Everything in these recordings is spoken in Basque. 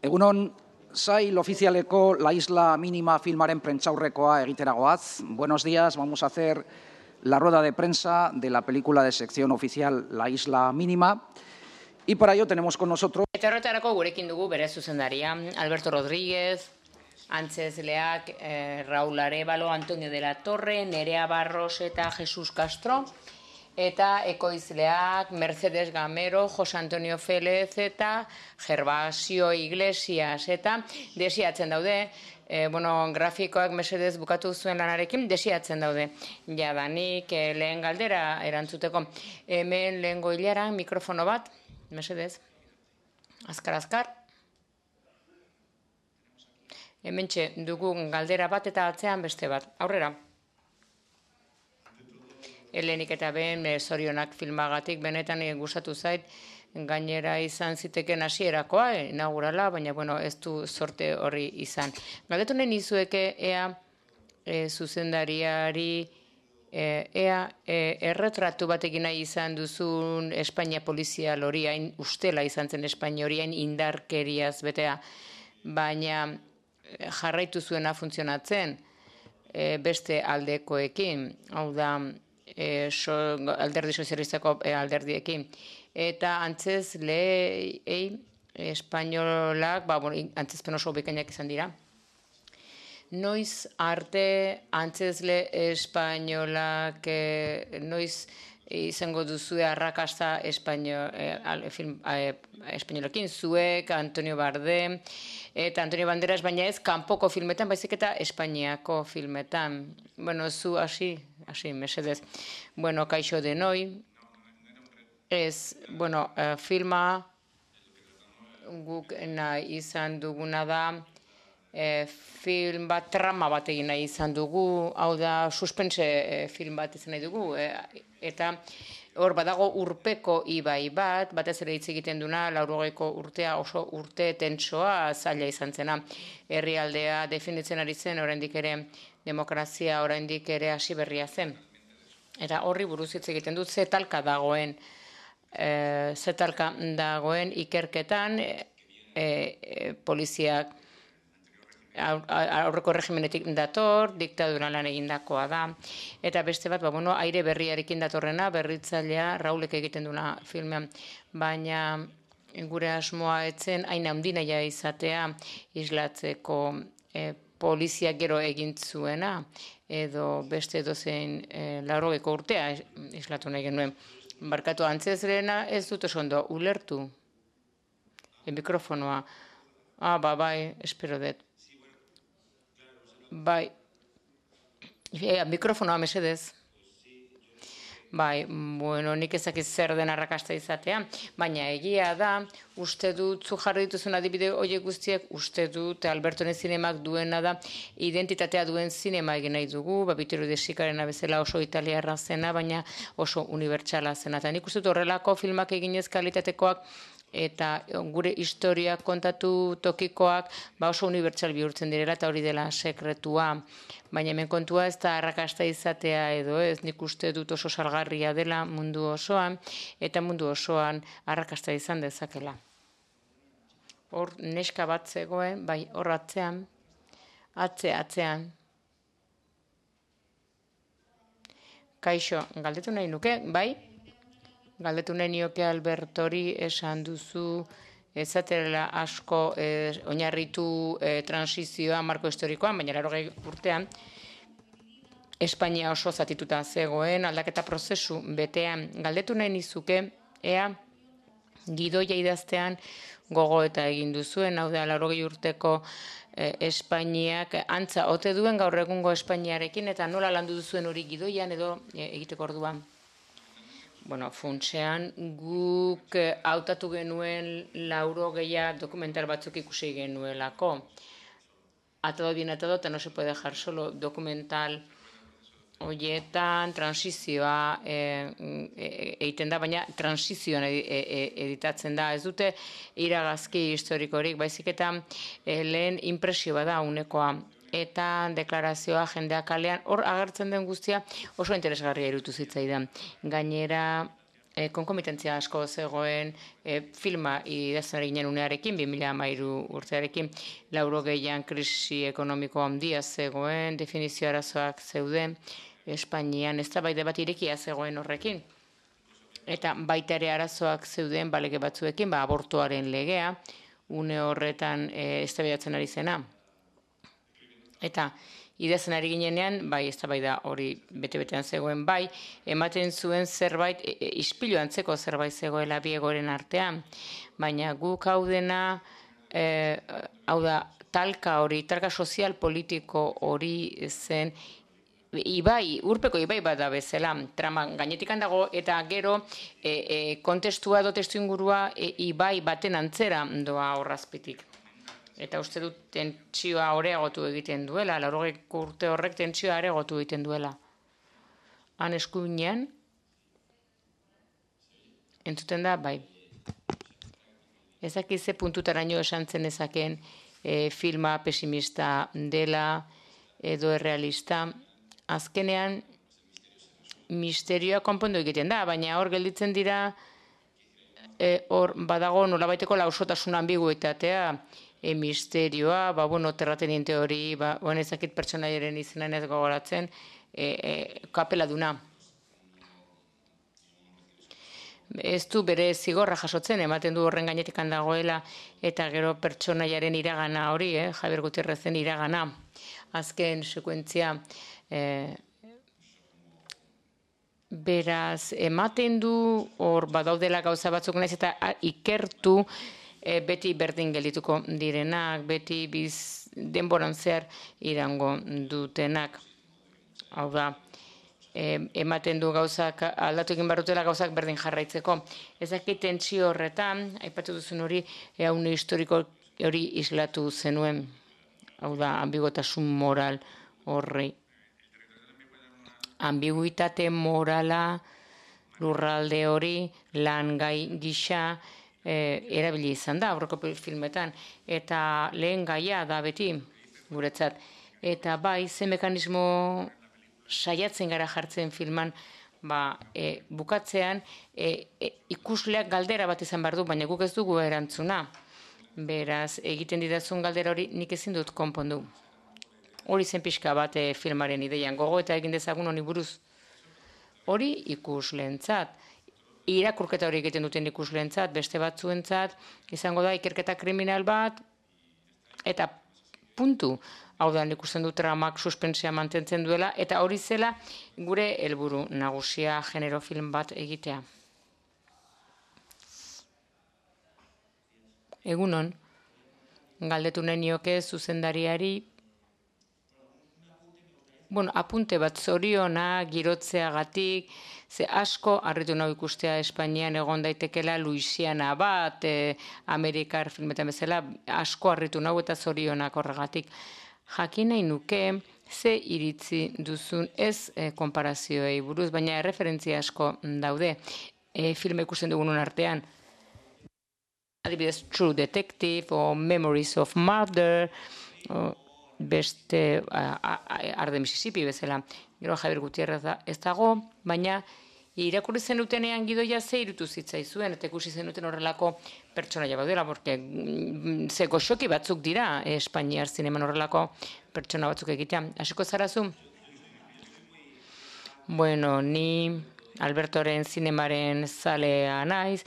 Egunon, sail ofizialeko La Isla Mínima filmaren prentsaurrekoa egiteragoaz. Buenos días, vamos a hacer la rueda de prensa de la película de sección oficial La Isla Mínima. Y para ello tenemos con nosotros... Eta horretarako gurekin dugu bere zuzendaria, Alberto Rodríguez, antzezleak Raúl Arévalo, Antonio de la Torre, Nerea Barros eta Jesus Castro, eta ekoizleak Mercedes Gamero, José Antonio Félez eta Gervasio Iglesias, eta desiatzen daude, grafikoak mesedez bukatu zuen lanarekin, desiatzen daude. Jadanik lehen galdera erantzuteko. Hemen lehengo hilaran mikrofono bat, mesedez. Azkar. Hementxe dugu galdera bat eta atzean beste bat. Aurrera. Helenik eta ben zorionak filmagatik benetan gustatu zait, gainera izan ziteken hasierakoa, inaugurala, baina ez du sorte horri izan. Galdetu nahi nizueke ea zuzendariari erretratu batekin nahi izan duzun Espainia polizial hori, hain ustela izan zen Espainia hori, hain indarkeriaz betea, baina jarraitu zuena funtzionatzen beste aldekoekin, hau da alderdi sozialistako alderdiekin. Eta antzezleei espainolak, antzezpen oso bikainak izan dira. Noiz arte antzezle espainolak, noiz izango duzue arrakasta espainolekin, zuek, Antonio Bardem, eta Antonio Banderas, baina ez kanpoko filmetan, baizik eta Espainiako filmetan. Zu hasi, mesedez. Kaixo denoi. Filma guk nahi izan duguna da, film bat, trama bat egin nahi izan dugu, hau da suspense film bat izan nahi dugu, eta hor badago urpeko ibai bat, batez ere hitz egiten duna, 80ko urtea oso urte tentsoa zaila izan zena. Herrialdea definitzen ari zen, oraindik ere demokrazia oraindik ere hasi berria zen. Eta horri buruz hitz egiten dut, zetalka dagoen ikerketan, poliziak aurreko regimenetik dator, diktadura lan egindakoa da, eta beste bat, aire berriarekin datorrena, berritzailea Raulek egiten duna filmean, baina gure asmoa etzen hain handinaia izatea islatzeko poliziak gero egin zuena, edo beste dozein 80ko urtea islatu nahi genuen. Barkatu antzezleena ez dut oso ondo ulertu. Mikrofonoa. Bai, espero dut. Bai, mikrofonoa mesedez. Bai, nik ezakit zer den arrakasta izatea, baina egia da, uste dut, zu jarri dituzun adibide horiek guztiak, uste dut Albertoren zinemak duena da, identitatea duen zinema egin nahi dugu, Babitero de Sicarena bezala oso italiarra zena, baina oso unibertsala zena. Eta nik uste dut horrelako filmak eginez kalitatekoak, eta gure historia kontatu tokikoak oso unibertsal bihurtzen direla, eta hori dela sekretua. Baina hemen kontua ez da arrakasta izatea edo ez, nik uste dut oso salgarria dela mundu osoan, eta mundu osoan arrakasta izan dezakela. Hor neska bat zegoen, bai, hor atzean, atzean. Kaixo, galdetu nahi nuke, bai? Galdetu nahi nioke Albertori esan duzu ezatela asko oinarritu transizioa marko historikoan, baina 80 urtean Espainia oso zatituta zegoen aldaketa prozesu betean. Galdetu nahi nizuke ea gidoia idaztean gogoeta egin duzuen, hau da 80 urteko Espainiak antza ote duen gaur egungo Espainiarekin, eta nola landu duzuen hori gidoian edo egiteko orduan. Funtsean guk hautatu genuen 80 dokumental batzuk ikusi genuelako. Atado bien atado, eta no se puede dejar solo dokumental horietan transizioa egiten da, baina transizioan editatzen da. Ez dute iragazki historikorik, baizik eta lehen impresio bada unekoa. Eta deklarazioa jendeak kalean, hor agertzen den guztia oso interesgarria iruditu zitzaidan. Gainera, konkomitentzia asko zegoen filma idazten ari ginen unearekin, 2013 urtearekin, 80an krisi ekonomiko handia zegoen, definizio arazoak zeuden, Espainian eztabaida bat irekia zegoen horrekin. Eta baita ere arazoak zeuden balege batzuekin, abortuaren legea, une horretan eztabaidatzen ari zena. Eta idazten ari ginenean, eztabaida hori bete-betean zegoen, ematen zuen zerbait, ispilu antzeko zerbait zegoela bi egoeren artean, baina guk hau dena, hau da, talka sozial politiko hori zen, urpeko ibai bat da bezala, trama gainetikan dago, eta gero kontestua edo testu ingurua ibai baten antzera doa horrazpitik. Eta uste dut tentsioa areagotu egiten duela, 80 urte horrek tentsioa areagotu egiten duela. Han eskuinean, entzuten da, ezakize puntutaraino esan zen ezaken filma pesimista dela edo errealista, azkenean misterioa konpondu egiten da, baina hor gelditzen dira, hor badago nolabaiteko lausotasun ambiguitatea, misterioa, terrateniente hori, ezakit pertsonaiaren izenan ez gogoratzen, kapela duna. Ez du bere zigorra jasotzen, ematen du horren gainetikan dagoela, eta gero pertsonaiaren iragana hori, Javier Gutierrezen iragana. Azken sekuentzia, beraz, ematen du hor badaudela gauza batzuk naiz eta ikertu beti berdin geldituko direnak, beti denboran zehar irango dutenak. Hau da, ematen du gauzak, aldatu egin barrutela gauzak berdin jarraitzeko. Ezakit tentsio horretan, aipatu duzun hori, haune historiko hori islatu zenuen. Hau da, ambigotasun moral horri. Ambiguitate morala, lurralde hori, lan gai gisa, erabili izan da, aurreko filmetan. Eta lehen gaia da beti, guretzat. Eta ze mekanismo saiatzen gara jartzen filman, bukatzean ikusleak galdera bat izan behar du, baina guk ez dugu erantzuna. Beraz, egiten didazun galdera hori nik ezin dut konpondu. Hori zen pixka bat filmaren ideian, gogo eta egin dezagun honi buruz. Hori ikusleentzat. Irakurketa hori egiten duten ikusleentzat, beste batzuentzat, izango da ikerketa kriminal bat, eta puntu. Hau da, ikusten du tramak suspensia mantentzen duela, eta hori zela gure helburu nagusia genero film bat egitea. Egunon, galdetu nahi nioke zuzendariari, apunte bat zoriona, girotzeagatik, ze asko harritu nahi ikustea Espainian egon daitekela Luisiana bat, Amerikar filmetan bezala, asko harritu nahi eta zorionak horregatik. Jakin nahi nuke, ze iritzi duzun ez konparazioei buruz, baina erreferentzia asko daude filme ikusten dugunun artean. Adibidez, True Detective, o Memories of Murder, beste Arde Mississippi bezala. Gero Javier Gutierrez ez dago, baina irakurri zenutenean gidoia ze irutu zitzaizuen, eta ikusi zenuten horrelako pertsonaia badela, porque ze goxoki batzuk dira Espainiar zineman horrelako pertsona batzuk egitea. Hasiko zarazu? Bueno, ni Albertoren zinemaren zalea naiz,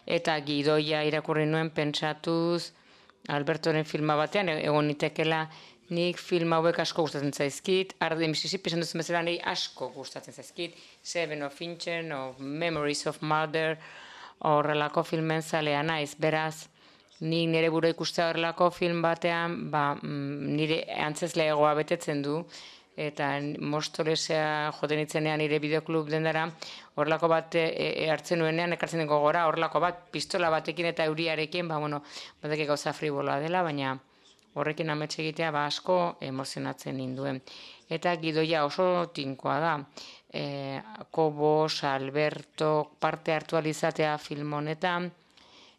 eta gidoia irakurri nuen pentsatuz Albertoren filma batean egon nitekela. Nik film hauek asko gustatzen zaizkit, Arde Mississippi esan duzen bezala nahi asko gustatzen zaizkit, Seven of Finchen, of Memories of Murder, horrelako filmen zalea naiz, beraz, nik nire buru ikustea horrelako film batean, nire antzezleagoa betetzen du, eta Mostolesea joten itzenean nire bideoklub dendara, horrelako bat hartzen nuenean, ekartzen dugu gora, horrelako bat pistola batekin eta euriarekin, batek gauza friboloa dela, baina horrekin amets egitea asko emozionatzen ninduen. Eta gidoia oso tinkoa da. Kobos, Alberto, parte hartu alizatea film honetan,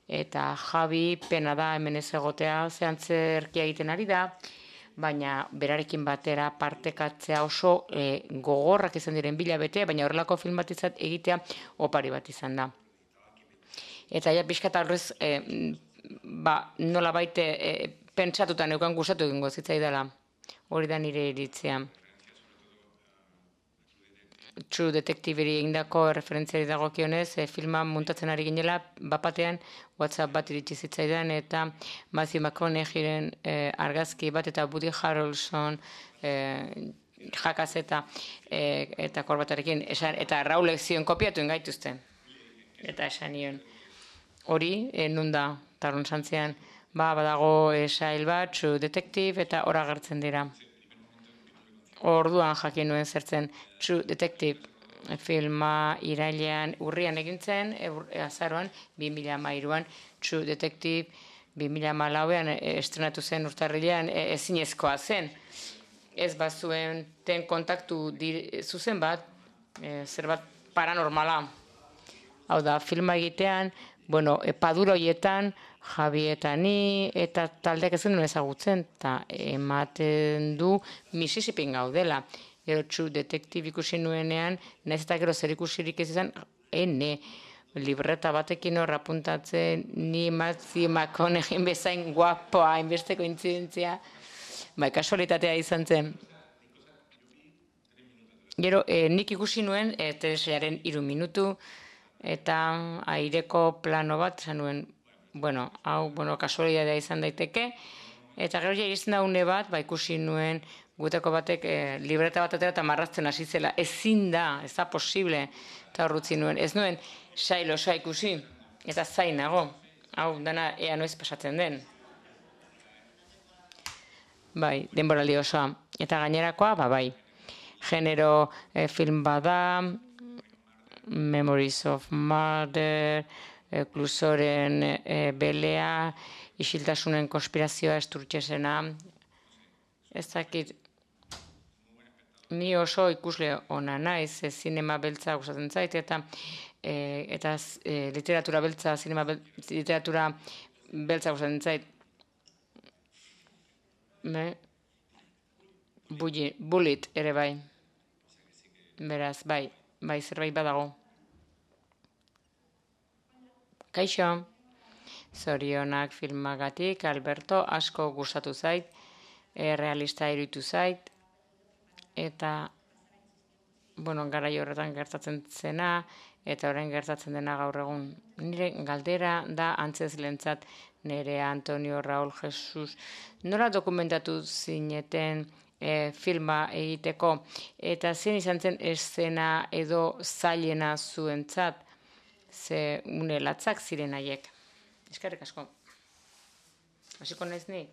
eta Javi pena da hemen ez egotea zehantzerkia egiten ari da, baina berarekin batera partekatzea oso gogorrak izan diren bilabete, baina horrelako film bat egitea opari bat izan da. Eta ja pixka eta horrez, nola baite pentsatuta neukan gustatu egingo zitzaidala. Hori da nire iritzia. True Detective-eri egindako referentziari dagokionez, filma muntatzen ari ginela, bapatean WhatsApp bat iritsi zitzaidan, eta Matthew McConaugheyren argazki bat, eta Woody Harrelson jakaz eta korbatarekin, eta Raulek zion kopiatu ingaituzte. Eta esan nion. Hori, nunda, tarun santzean, badago sail bat, True Detective, eta hor agertzen dira. Orduan jakin nuen zertzen True Detective filma irailean urrian egintzen, azaroan 2013an True Detective 2014an estrenatu zen urtarrilean ezinezkoa zen. Ez bazuen ten kontaktu zuzen bat, zerbait paranormala. Hau da, filma egitean, padura horietan, Javi eta ni, eta taldeak ez duen ezagutzen, eta ematen du Mississippin gaudela. Gero True Detective ikusi nuenean, nahiz eta gero zer ikusirik ez izan, libreta batekin horra apuntatzen, ni Matthew McConaughey bezain guapoa, hainbeste kointzidentzia, kasualitatea izan zen. Gero, nik ikusi nuen, telesailaren 3 minutu, eta aireko plano bat, esan nuen, kasualitatea izan daiteke, eta gero ja iristen da une bat, ikusi nuen guteko batek libreta bat atera eta marrazten hasi zela. Ezin da, ez da posible, eta horrutzi nuen. Ez nuen sail osoa ikusi, eta zainago. Hau, dana ea noiz pasatzen den. Denboraldi osoa. Eta gainerakoa, bai. Genero film bada, Memories of Murder, Klusoren belea, isiltasunen konspirazioa esturtxesena. Ez dakit, ni oso ikusle ona naiz, zinema beltza gustatzen zait, eta literatura beltza, literatura beltza gustatzen zait. Bullet ere bai. Beraz, bai, zerbait badago. Kaixo, zorionak filmagatik, Alberto, asko gustatu zait, realista iruditu zait, eta, garai horretan gertatzen zena, eta orain gertatzen dena gaur egun. Nire galdera da antzezlentzat nire Antonio Raúl Jesus. Nola dokumentatu zineten filma egiteko, eta zein izan zen eszena edo zailena zuentzat, ze une latzak ziren haiek. Eskerrik asko. Hasiko naiz ni?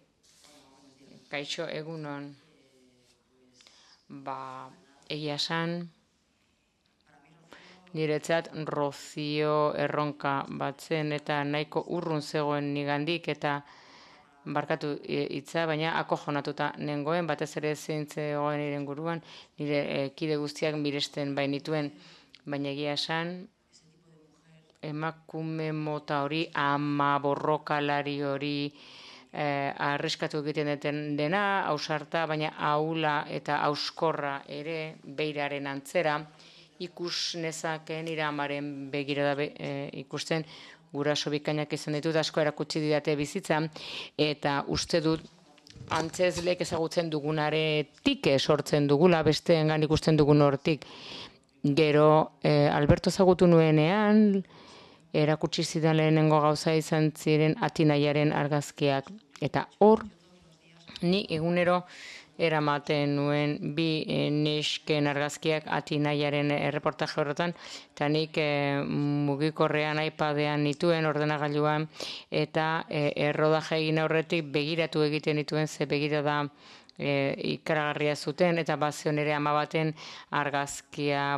Kaixo, egunon. Egia esan, niretzat Rocío erronka bat zen, eta nahiko urrun zegoen nigandik, eta barkatu hitza, baina akojonatuta nengoen, batez ere zeintzegoen nire inguruan, nire kide guztiak miresten bainituen, baina egia esan, emakume mota hori, ama borrokalari hori, arriskatu egiten dena, ausarta, baina ahula eta auskorra ere beiraren antzera, ikus nezakeen nire amaren begirada ikusten, guraso bikainak izan ditut, asko erakutsi didate bizitzan, eta uste dut antzezleek ezagutzen dugunaretik sortzen dugula, besteengan ikusten dugun hortik. Gero, Alberto ezagutu nuenean, erakutsi zidan lehenengo gauza izan ziren Atinaiaren argazkiak. Eta hor, ni egunero eramaten nuen bi nesken argazkiak Atinaiaren erreportaje horretan, eta nik mugikorrean iPadean nituen, ordenagailuan, eta errodaje egin aurretik begiratu egiten nituen, ze begirada ikaragarria zuten, eta bazion ere ama baten argazkia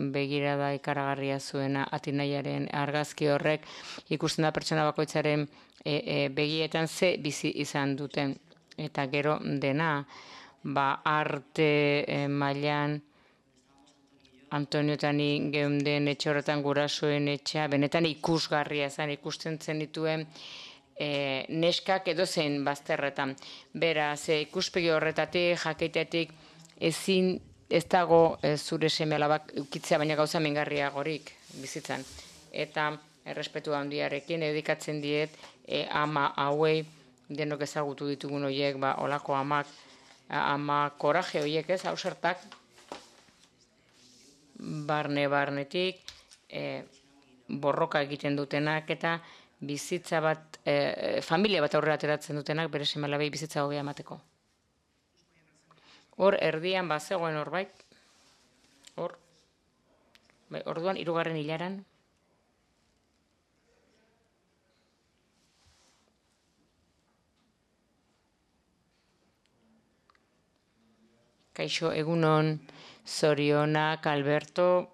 begirada ikaragarria zuena Atinaiaren argazki horrek, ikusten da pertsona bakoitzaren begietan ze bizi izan duten. Eta gero dena, arte mailan Antonio eta ni geunden etxe horretan gurasoen etxea, benetan ikusgarria zen, ikusten zen dituen neskak edo zein bazterretan. Beraz, ikuspegi horretatik, jakeitetik, ez dago zure seme alabak ukitzea, baina gauza mingarriagorik bizitzan. Eta errespetu handiarekin, dedikatzen diet ama hauei, denok ezagutu ditugun horiek, olako amak, ama koraje horiek ez, hausertak, barnetik, borroka egiten dutenak eta bizitza bat, familia bat aurrera ateratzen dutenak, bere seme-alabei bizitza hobea emateko. Hor, erdian bazegoen horbait, orduan, 3. hilaran, kaixo, egunon, zorionak, Alberto,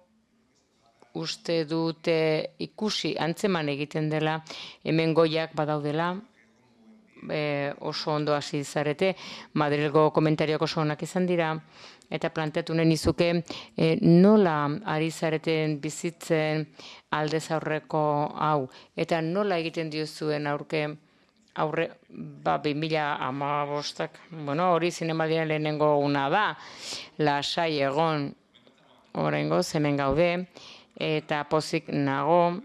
uste dute ikusi, antzeman egiten dela, hemen goiak badaudela, oso ondo hasi zarete, Madrilgo komentariak oso onak izan dira, eta planteatu nahi nizuke nola ari zareten bizitzen aldez aurreko hau, eta nola egiten diozuen aurre 2015, hori zinemaldian lehenengo una da, lasai egon oraingoz hemen gaude, eta pozik nago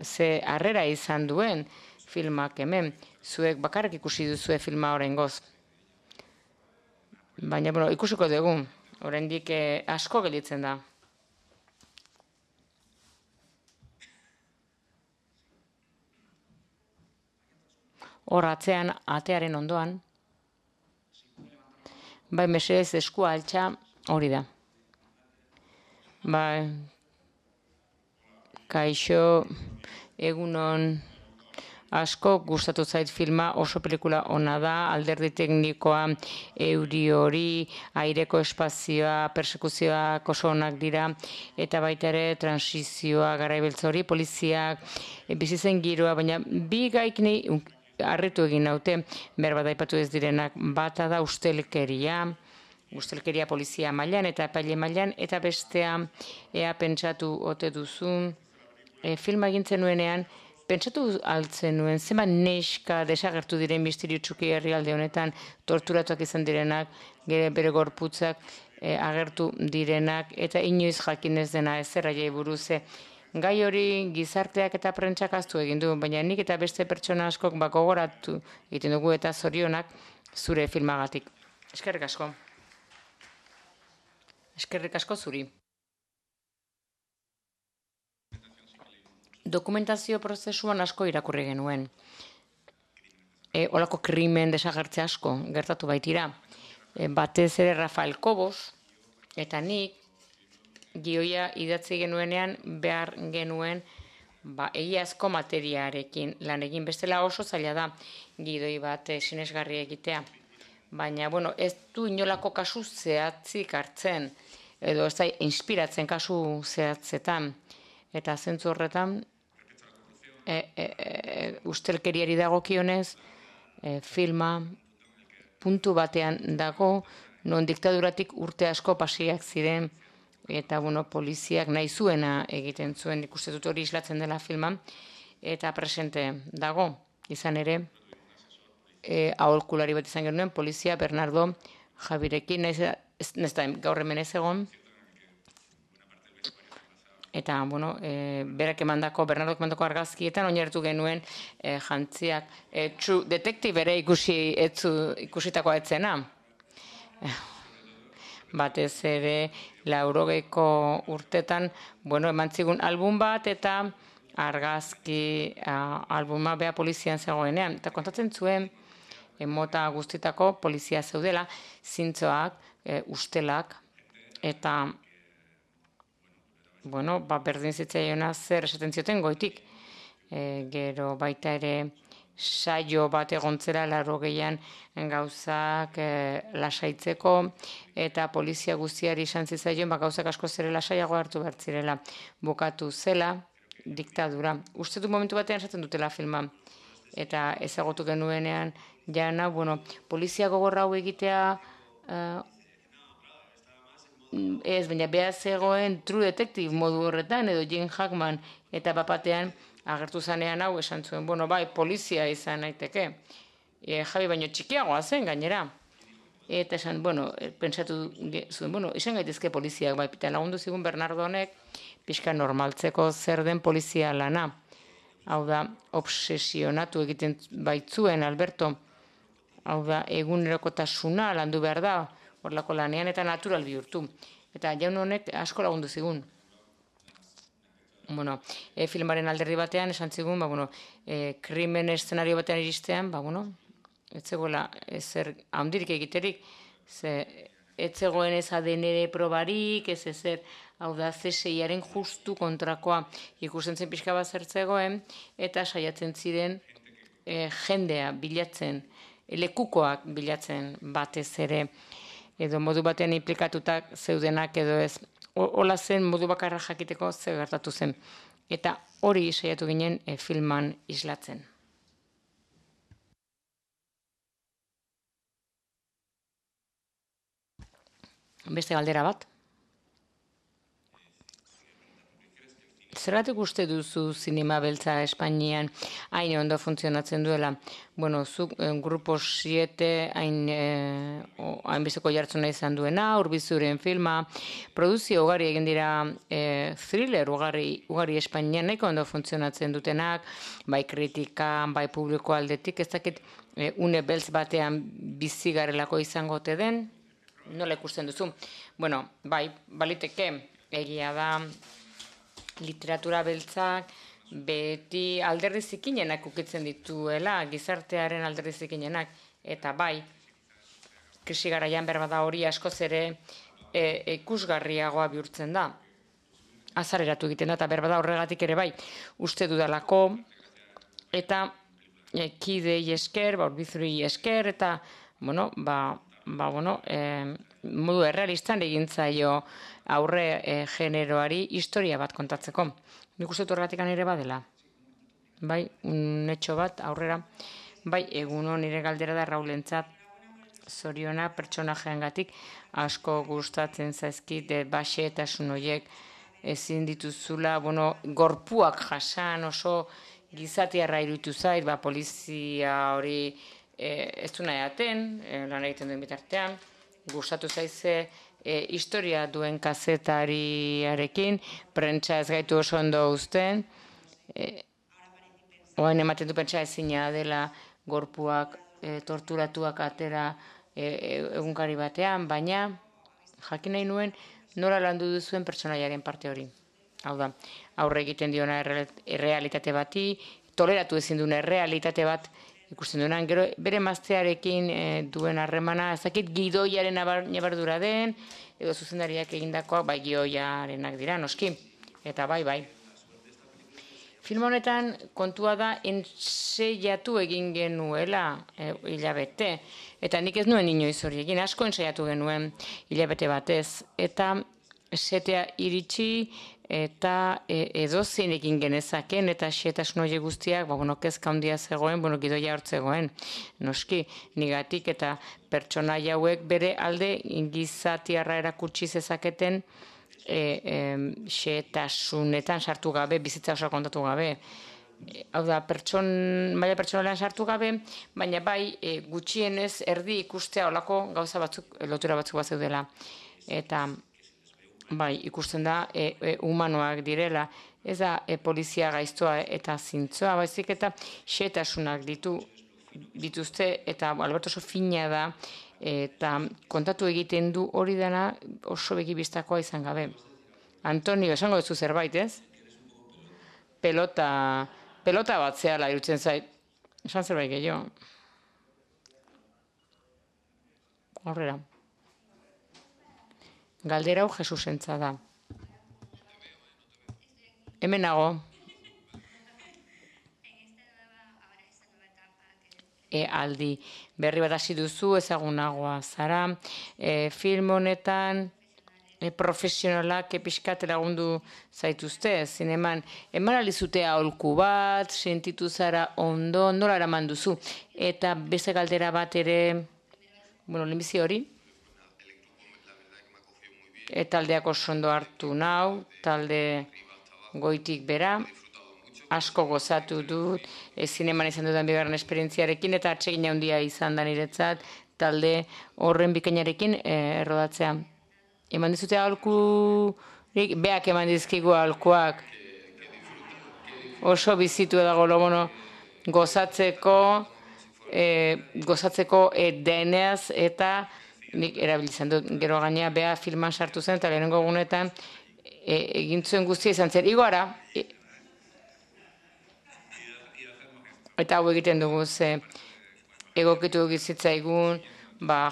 ze harrera izan duen filmak hemen. Zuek bakarrik ikusi duzue filma oraingoz. Baina, ikusiko dugu, oraindik asko gelditzen da. Hor atzean, atearen ondoan, mesedez eskua altxa hori da. Kaixo, egunon, asko gustatu zait filma, oso pelikula ona da, alderdi teknikoa, euri hori, aireko espazioa, persekuzioak oso onak dira, eta baita ere transizioa, garaibeltza hori, poliziak, bizitzen giroa, baina bi gaik nahi harritu egin naute, berbada aipatu ez direnak, bata da ustelkeria polizia mailan eta epaile mailan, eta bestea ea pentsatu ote duzun, filma egintzen nuenean, pentsatu altzen nuen, zenbat neska desagertu diren misterio txuki herrialde honetan, torturatuak izan direnak, bere gorputzak agertu direnak, eta inoiz jakinez dena ezer aiei buruz. Gai hori gizarteak eta prentsak ahaztu egin du, baina nik eta beste pertsona askok gogoratu egiten dugu eta zorionak zure filmagatik. Eskerrik asko. Eskerrik asko zuri. Dokumentazio prozesuan asko irakurri genuen. Olako krimen desagertze asko gertatu baitira. Batez ere Rafael Cobos eta nik gioia idatzi genuenean behar genuen egiazko materiarekin lan egin. Bestela oso zaila da gidoi bat sinesgarri egitea. Baina, ez du inolako kasu zehatzik hartzen, edo ez da inspiratzen kasu zehatzetan. Eta zentzu horretan, ustelkeriari dagokionez, filma puntu batean dago, non diktaduratik urte asko pasiak ziren, eta poliziak nahi zuena egiten zuen, ikuste dut hori islatzen dela filman, eta presente dago, izan ere, aholkulari bat izan genuen, polizia Bernardo Javirekin, ez da gaur hemen ez egon, eta, berak Bernardok emandako argazkietan oinarritu genuen jantziak. True Detective ere ikusitakoa etzena. Batez ere, 80ko urtetan, eman zigun album bat eta argazki albuma bea polizian zegoenean. Eta kontatzen zuen, mota guztitako polizia zeudela, zintzoak, ustelak, eta berdin zitzaiona zer esaten zioten goitik. Gero baita ere saio bat egontzera 80an gauzak lasaitzeko, eta polizia guztiari esan zitzaion gauzak asko zere lasaiago hartu behar zirela. Bukatu zela diktadura. Uste du momentu batean esaten dutela filma. Eta ezagutu genuenean jana, polizia gogorra hau egitea ez, baina behar zegoen True Detective modu horretan, edo Jane Hackman, eta bapatean agertu zanean hau esan zuen, polizia izan naiteke. Javi baino txikiagoa zen gainera. Eta esan, pentsatu zuen, izan gaitezke poliziak, eta lagundu zigun Bernardo honek, pixka normaltzeko zer den polizia lana. hau da, obsesionatu egiten baitzuen Alberto, hau da, egunerokotasuna landu behar da, horlako lanean eta natural bihurtu. Eta jaun honek asko lagundu zigun. Bueno, filmaren alderdi batean esan zigun, krimen eszenario batean iristean, ez zegoela ezer handirik egiterik, ez zegoen ez ADN probarik, ez ezer, hau da, CSI-aren justu kontrakoa ikusten zen pixka bat zertzegoen, eta saiatzen ziren jendea bilatzen, lekukoak bilatzen batez ere, edo modu batean implikatutak zeudenak edo ez. Hola zen modu bakarra jakiteko ze gertatu zen. Eta hori saiatu ginen filman islatzen. Beste galdera bat. Zergatik uste duzu zinema beltza Espainian hain ondo funtzionatzen duela? Zuk Grupo 7 hainbesteko jartzuna izan duena, Urbizuren filma, produzio ugari egin dira thriller ugari Espainian nahiko ondo funtzionatzen dutenak, bai kritika, bai publiko aldetik, ez dakit une beltz batean bizi garelako izango ote den, nola ikusten duzu? Bai, baliteke, egia da, literatura beltzak beti alderdi zikinenak ukitzen dituela, gizartearen alderdi zikinenak, eta bai, krisi garaian berbada hori askoz ere ikusgarriagoa bihurtzen da. Azareratu egiten da, eta berbada horregatik ere bai, uste dudalako, eta kidei esker, Urbizuri esker, eta, modu errealistan egin zaio aurre generoari historia bat kontatzeko. Nik uste horregatik ere badela. Bai, netxo bat aurrera. Bai, eguno nire galdera da Raulentzat zoriona pertsonajeengatik asko gustatzen zaizkit baxetasun horiek ezin dituzula, gorpuak jasan oso gizatiarra iruditu zait, polizia hori ez du nahi aten, lan egiten duen bitartean, gustatu zaize historia duen kazetariarekin, prentsa ez gaitu oso ondo uzten, oain ematen du pentsa ezina dela gorpuak torturatuak atera egunkari batean, baina jakin nahi nuen nola landu duzuen pertsonaiaren parte hori. Hau da, aurre egiten diona errealitate bati, toleratu ezin duen errealitate bat ikusten duenan, gero bere maztearekin duen harremana, ezakit gidoiaren nabardura den, edo zuzendariak egindakoak, bai gidoiarenak dira, noski, eta bai. Film honetan kontua da enseiatu egin genuela hilabete, eta nik ez nuen inoiz hori egin, asko enseiatu genuen hilabete batez, eta setea iritsi, eta edozein egin genezaken, eta xetasun horiek guztiak, kezka handia zegoen, gidoia hortzegoen, noski, nigatik, eta pertsonaia hauek bere alde gizatiarra erakutsi zezaketen xetasunetan sartu gabe, bizitza oso kontatu gabe. Hau da, maila pertsonalean sartu gabe, baina bai gutxienez erdi ikustea olako gauza batzuk, lotura batzuk bat zeudela. Eta bai, ikusten da humanoak direla, ez da polizia gaiztoa eta zintzoa, baizik eta xetasunak dituzte, eta Alberto oso fina da, eta kontatu egiten du hori dena oso begibistakoa izan gabe. Antonio, esango duzu zerbait, ez? Pelota bat zehala irutzen zait. Esan zerbait gehiago. Aurrera. Galdera hau Jesusentza da. Hemen nago. Aldi berri bat hasi duzu, ezagunagoa zara. Film honetan profesionalak pixkat lagundu zaituzte, zineman. Eman alizute aholku bat, sentitu zara ondo, nola eraman duzu. Eta beste galdera bat ere, lehenbizi hori, taldeak oso ondo hartu nau, talde goitik bera, asko gozatu dut, zineman izan dudan bigarren esperientziarekin, eta atsegin handia izan da niretzat, talde horren bikainarekin errodatzea. Eman dizute aholkurik, beak eman dizkigu aholkuak. oso bizitu edago lobono gozatzeko deneaz eta nik erabiltzen dut. Gero gainea bea filman sartu zen eta lehenengo egunetan egin zuen guztia izan zen. Igora, eta hau egiten dugu ze egokitu egizitzaigun,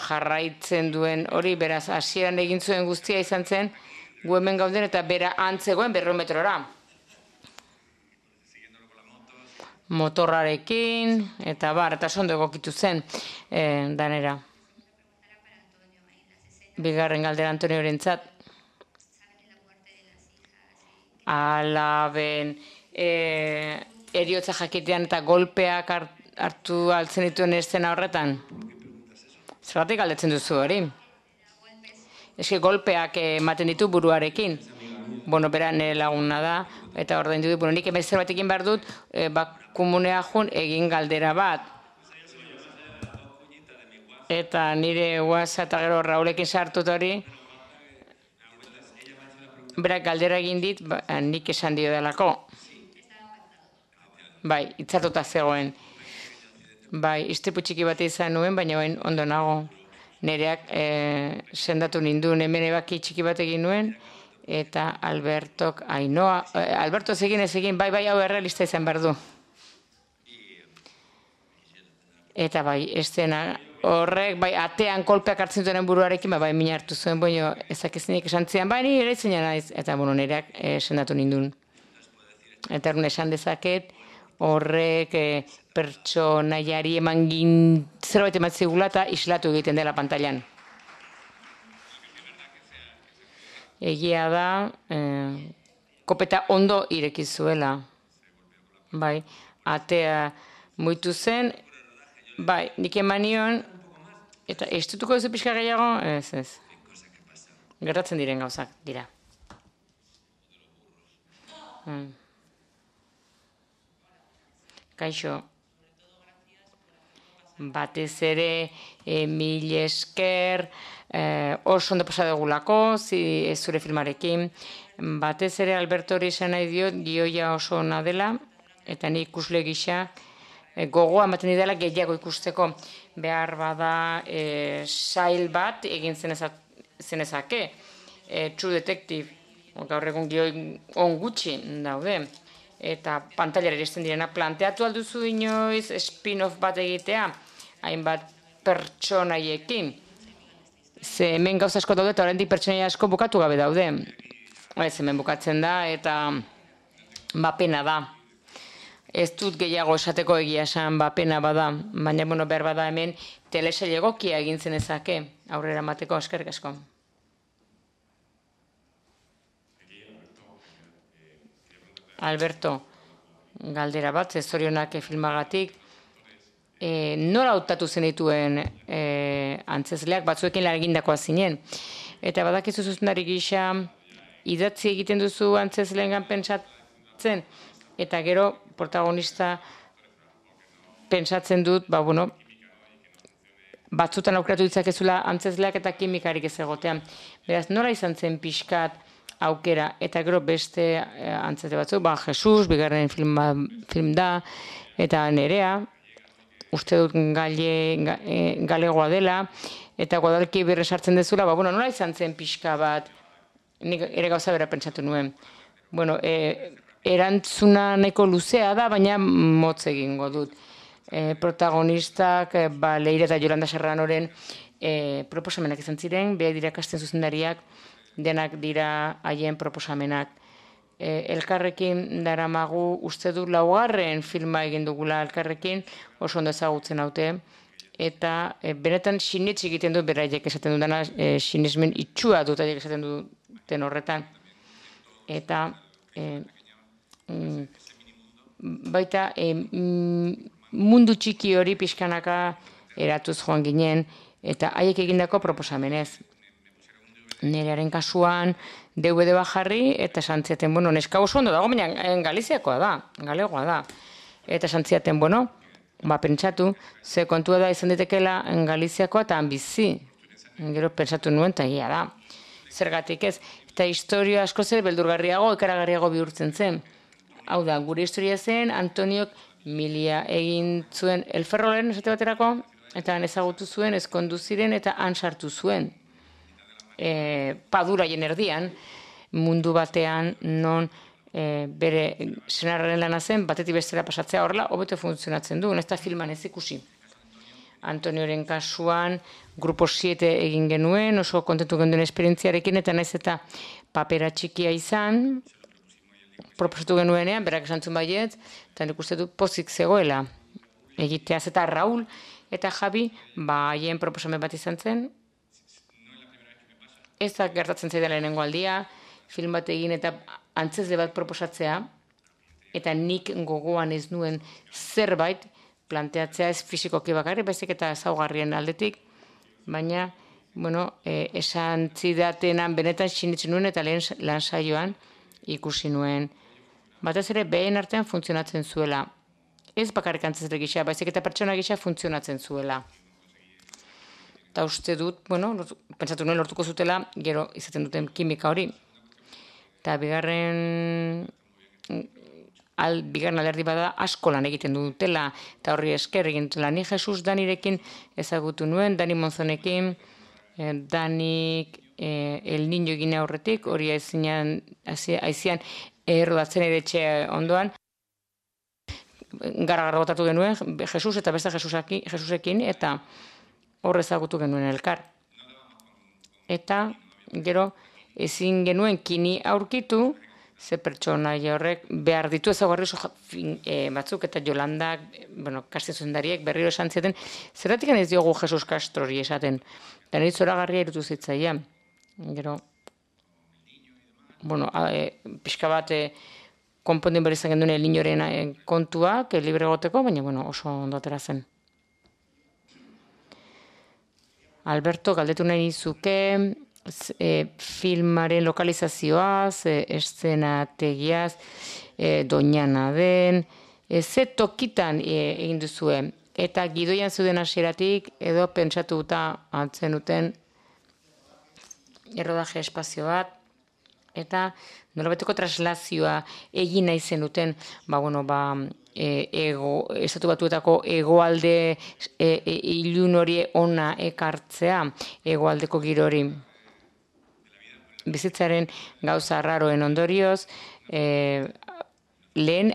jarraitzen duen hori, beraz, hasieran egin zuen guztia izan zen, gu hemen gauden eta bera antzegoen 200 metrora. Motorrarekin, eta sondo egokitu zen danera. Bigarren galdera Antoniorentzat. Alaben eriotza jakitean eta golpeak hartu altzen dituen eszena horretan? Zergatik galdetzen duzu hori? Eske golpeak ematen ditu buruarekin. Bera nire laguna da, eta ordaindu dut, nik hemen zerbait egin behar dut, komunea jun egin galdera bat. Eta nire WhatsApp eta gero Raulekin sartut hori, berak galdera egin dit, nik esan dio delako. Itzartuta zegoen. Istripu txiki bat izan nuen, baina ondo nago. Nereak sendatu ninduen, hemen ebaki txiki bat egin nuen, eta Albertok, Alberto ez egin, hau errealista izan behar du. Eta estena horrek, atean kolpeak hartzen duen buruarekin, mina hartu zuen, ezakezinik esan zian, ni ere izan naiz, eta nereak sendatu ninduen. Eta erun esan dezaket, horrek pertsonaiari eman zerbait ematzigula eta islatu egiten dela pantailan. Egia da, kopeta ondo irekizuela. Atea muitu zen, nik eman nion, eta estutuko duzu pixka gehiago? Ez. Gertatzen diren gauzak, dira. Kaixo. Batez ere, mil esker, oso ondo pasa dugulako, zure filmarekin. Batez ere, Alberto hori esan nahi diot, gioia oso ona dela, eta ni ikusle gisa, gogoa ematen didala gehiago ikusteko. Behar bada sail bat egin zenezake. True Detective, gaur egun gioi on gutxi daude. Eta pantailara iristen direna, planteatu alduzu inoiz spin-off bat egitea, hainbat pertsonaiekin. Ze hemen gauza asko daude eta oraindik pertsonaia asko bukatu gabe daude. Ez hemen bukatzen da eta pena da. Ez dut gehiago esateko egia esan pena bada, baina behar bada hemen telesail egokia egin zenezake aurrera mateko. Eskerrik asko. Alberto, galdera bat, zorionak filmagatik. Nora hautatu zenituen antzezleak, batzuekin lan egindakoa zinen. Eta badakizu zuzendari gisa, idatzi egiten duzu antzezleengan pentsatzen, eta gero protagonista pentsatzen dut, batzutan aukeratu ditzakezula antzezleak eta kimikarik ez egotean. Beraz, nora izan zen pixkat aukera, eta gero beste antzezle batzuk, Jesus, bigarren film da, eta Nerea, uste dut galegoa dela, eta Guadalki berre sartzen dezula, nola izan zen pixka bat, nik ere gauza bera pentsatu nuen. Erantzuna nahiko luzea da, baina motz egingo dut. Protagonistak, Leire eta Yolanda Serranoren proposamenak izan ziren, behar dira kasten zuzendariak, denak dira haien proposamenak. Elkarrekin daramagu uste du 4. filma egin dugula elkarrekin, oso ondo ezagutzen haute, eta benetan sinetxe egiten du beraiek esaten dudana, sinesmen itxua dut aiek esaten duten horretan. Eta baita mundu txiki hori pixkanaka eratuz joan ginen, eta haiek egindako proposamenez. Nerearen kasuan DVD bat jarri, eta santziaten, neska oso ondo dago, baina Galiziakoa da, galegoa da. Eta santziaten, pentsatu, ze kontua da izan ditekela Galiziakoa eta bizi. Gero pentsatu nuen, eta egia da. Zergatik ez, eta historia asko zer beldurgarriago, ikaragarriago bihurtzen zen. Hau da, gure historia zen, Antoniok milia egin zuen elferrolen esate baterako, eta han ezagutu zuen, ezkondu ziren, eta han sartu zuen. Paduraien erdian, mundu batean non bere senarraren lana zen, batetik bestera pasatzea horrela, hobeto funtzionatzen du, ez da filman ez ikusi. Antonioren kasuan, grupo 7 egin genuen, oso kontentu genuen esperientziarekin, eta naiz eta papera txikia izan, proposatu genuenean, berak esantzun baiet, eta nik uste du pozik zegoela egiteaz, eta Raul eta Javi, haien proposamen bat izan zen, ez da gertatzen zaidala lehenengo aldia, film bat egin eta antzezle bat proposatzea, eta nik gogoan ez nuen zerbait planteatzea ez fisikoki bakarrik, baizik eta ezaugarrien aldetik, baina, esan zidatenan benetan sinitzen nuen eta lehen lan saioan ikusi nuen. Batez ere, behen artean funtzionatzen zuela. Ez bakarrik antzezle gisa, baizik eta pertsona gisa funtzionatzen zuela. Eta uste dut, pentsatu nuen lortuko zutela, gero izaten duten kimika hori. Eta bigarren alderdi bada asko lan egiten dutela, eta horri esker egin dutela. Ni Jesus Danirekin ezagutu nuen, Dani Monzonekin, Danik El Niño egin aurretik, hori aizian errodatzen ere etxe ondoan, gara botatu genuen, Jesus eta beste Jesusekin, eta hor ezagutu genuen elkar. Eta gero ezin genuen kini aurkitu, ze pertsonaia horrek behar ditu ezaugarri batzuk eta Jolandak, Kastien zuzendariek berriro esan zieten, zergatik ez diogu Jesus Castrori esaten, eta nire zoragarria irutu zitzaia. Gero, pixka bat konpondin behar izan genduen Elinoren kontuak, libre goteko, baina oso ondo atera zen. Alberto, galdetu nahi nizuke, filmaren lokalizazioaz, eszenategiaz, Doñana den, ze tokitan egin duzue, eta gidoian zuden hasieratik edo pentsatuta antzenuten errodaje espazio bat, eta nolabeteko traslazioa egin nahi zenuten, estatu batuetako hegoalde ilun hori ona ekartzea, hegoaldeko giro hori. Bizitzaren gauza arraroen ondorioz, lehen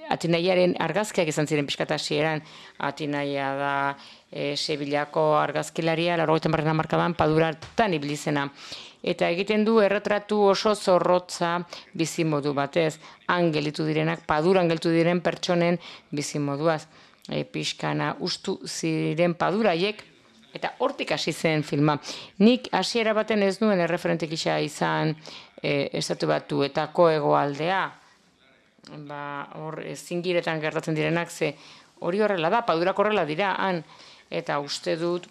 Atinaiaren argazkiak izan ziren pixkat hasieran. Atinaia da Sevillako argazkilaria, 80. hamarkadan Paduratan ibili zena. Eta egiten du erretratu oso zorrotza bizimodu batez. Han gelditu direnak, Paduran gelditu diren pertsonen bizimoduaz. Pixkana ustu ziren Paduraiek, eta hortik hasi zen filma. Nik hasiera baten ez nuen erreferente gisa izan estatu batuetako hegoaldea. Hor zingiretan gertatzen direnak, ze hori horrela da, Padurak horrela dira, han. Eta uste dut,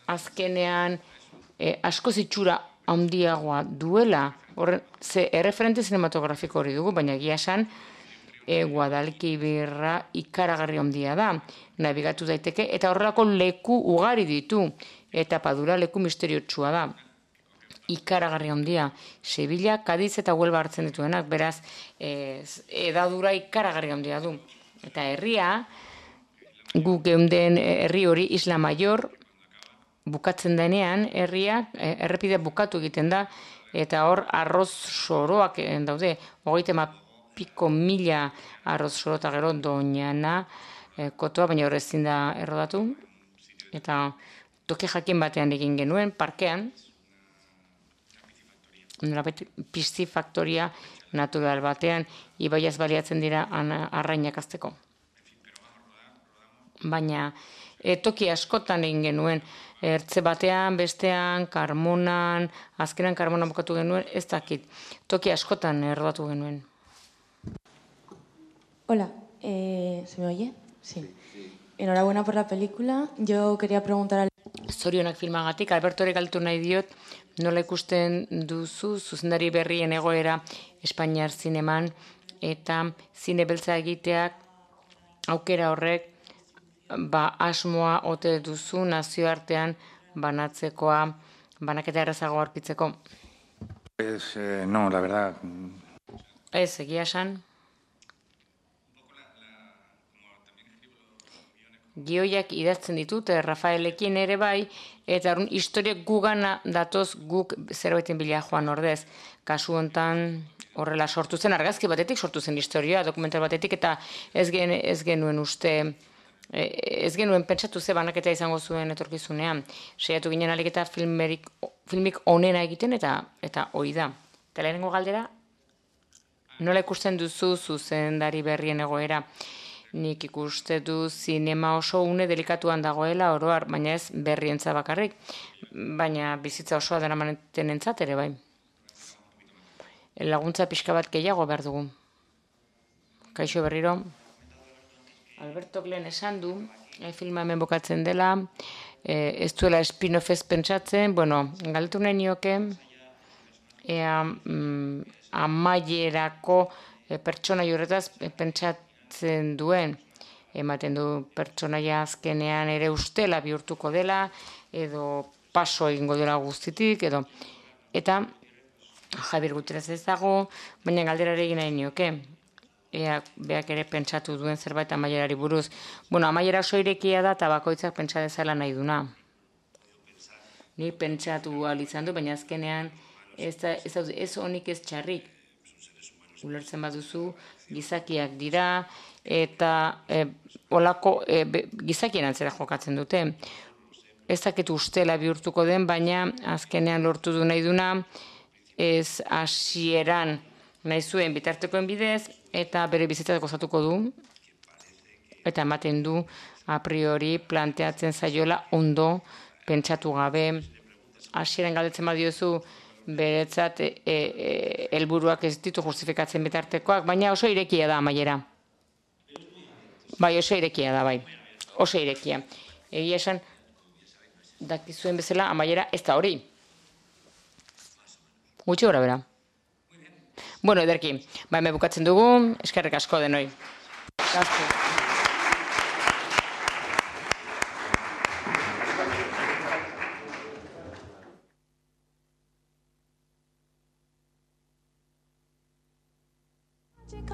azkenean asko zitxura handiagoa duela. Ze erreferente cinematografiko hori dugu, baina egia esan, Guadalquivira ikaragarri handia da, nabigatu daiteke, eta horrelako leku ugari ditu, eta Padura leku misteriotsua da. Ikaragarri handia, Sevilla, Cadiz eta Huelva hartzen dituenak, beraz, edadura ikaragarri handia du. Eta herria, guk geunden herri hori Isla Mayor, bukatzen denean, herria, errepidea bukatu egiten da, eta hor arroz soroak daude, 30.000 arroz soro eta gero Doñana kotoa, baina hor ezin da errodatu. Eta toki jakin batean egin genuen, parkean, piscifaktoria natural batean, ibaiaz baliatzen dira arrainak azteko. Baina toki askotan egin genuen, ertze batean, bestean, Karmonan, azkenan Karmonan bukatu genuen, ez dakit, toki askotan errodatu genuen. Hola, ¿se me oye? Sí. Enhorabuena por la película. Yo quería preguntar al... Zorionak filmagatik, Albertore galtu nahi diot, nola ikusten duzu zuzendari berrien egoera Espainiar zineman, eta zine beltza egiteak aukera horrek asmoa ote duzu nazioartean banatzekoa, banaketa errazago aurkitzeko. No, la verdad. Ez, egia esan. Gioiak idazten ditut, Rafaelekin ere bai, eta historiak gugana datoz guk zerbaiten bila joan ordez. Kasu hontan horrela sortu zen, argazki batetik sortu zen historia, dokumental batetik, eta ez genuen uste, ez genuen pentsatu ze banaketa izango zuen etorkizunean. Saiatu ginen alik eta filmik onena egiten, eta hori da. Eta lehenengo galdera, nola ikusten duzu zuzendari berrien egoera? Nik ikuste du zinema oso une delikatuan dagoela oroar, baina ez berrientza bakarrik, baina bizitza osoa dara mantenentzat ere bai. Laguntza pixka bat gehiago behar dugu. Kaixo berriro. Albertok lehen esan du, filma hemen bokatzen dela, ez duela spin-off ez pentsatzen, galdetu nahi nioke, amaierako pertsona horretaz pentsatzen duen, ematen du pertsonaia azkenean ere ustela bihurtuko dela, edo paso egingo dela guztitik, eta Javier Gutierrez ez dago, baina galderare egin nahi nioke. Beak ere pentsatu duen zerbait amaierari buruz. Amaiera oso irekia da, eta bakoitzak pentsa dezala nahi duna. Ni pentsatu ahal izan du, baina azkenean ez honik ez txarrik. Ulertzen baduzu, gizakiak dira, eta olako gizakien antzera jokatzen dute. Ez dakitu ustela bihurtuko den, baina azkenean lortu du nahi duna, ez hasieran nahi zuen bitartekoen bidez, eta bere bizitzak gozatuko du, eta ematen du a priori planteatzen zaiola ondo pentsatu gabe. Hasieran galdetzen badiozu beretzat helburuak ez ditu justifikatzen bitartekoak, baina oso irekia da amaiera. Bai, oso irekia da, bai. Oso irekia. Egia esan, dakizuen bezala amaiera ez da hori. Gutxi gora bera. Ederki, hemen bukatzen dugu, eskerrik asko denoi. Magic